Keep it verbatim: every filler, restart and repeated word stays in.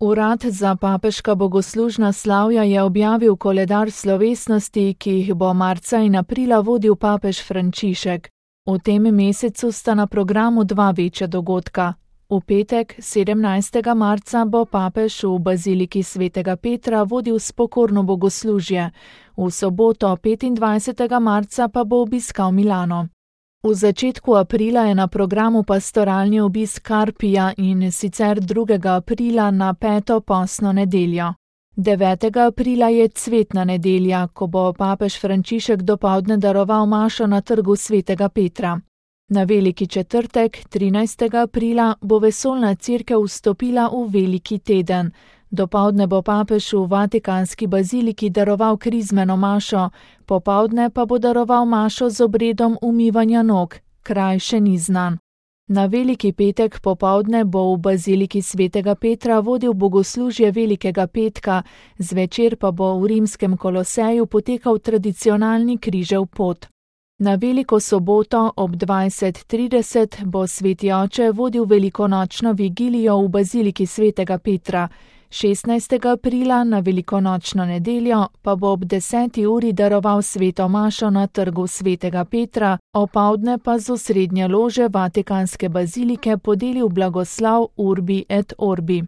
Urad za papeška bogoslužna slavja je objavil koledar slovesnosti, ki jih bo marca in aprila vodil papež Frančišek. V tem mesecu sta na programu dva večja dogodka. V petek, sedemnajstega marca, bo papež v baziliki svetega Petra vodil spokorno bogoslužje, v soboto, petindvajsetega marca, pa bo obiskal Milano. V začetku aprila je na programu pastoralni obisk Karpija in sicer drugega aprila na peto postno nedeljo. devetega aprila je cvetna nedelja, ko bo papež Frančišek dopoldne daroval mašo na trgu svetega Petra. Na veliki četrtek, trinajstega aprila, bo vesoljna cerkev vstopila v veliki teden. Dopoldne bo papež v vatikanski baziliki daroval krizmeno mašo, popoldne pa bo daroval mašo z obredom umivanja nog, kraj še ni znan. Na veliki petek popoldne bo v baziliki svetega Petra vodil bogoslužje velikega petka, zvečer pa bo v rimskem Koloseju potekal tradicionalni križev pot. Na veliko soboto ob dvajset trideset bo sveti oče vodil velikonočno vigilijo v baziliki svetega Petra, šestnajstega aprila na velikonočno nedeljo pa bo ob deseti uri daroval sveto mašo na trgu svetega Petra, opoldne pa z osrednje lože vatikanske bazilike podelil blagoslov Urbi et Orbi.